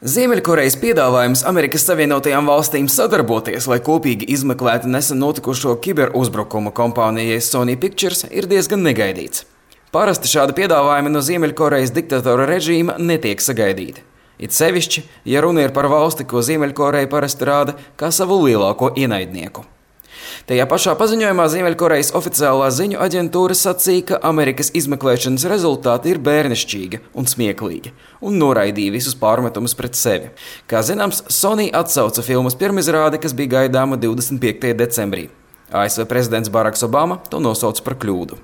Ziemeļkorejas piedāvājums Amerikas Savienotajām valstīm sadarboties, lai kopīgi izmeklētu nesen notikušo kiberuzbrukumu kompānijai Sony Pictures, ir diezgan negaidīts. Parasti šādi piedāvājumi no Ziemeļkorejas diktatora režīma netiek sagaidīti. It sevišķi, ja runa ir par valsti, ko Ziemeļkoreja parasti rāda kā savu lielāko ienaidnieku. Tajā pašā paziņojumā Ziemeļkorejas oficiālā ziņu aģentūra sacīja, ka Amerikas izmeklēšanas rezultāti ir bērnišķīgi un smieklīgi, un noraidīja visus pārmetumus pret sevi. Kā zināms, Sony atsauca filmas pirmizrādi, kas bija gaidāma 25. decembrī. ASV prezidents Baraks Obama to nosauca par kļūdu.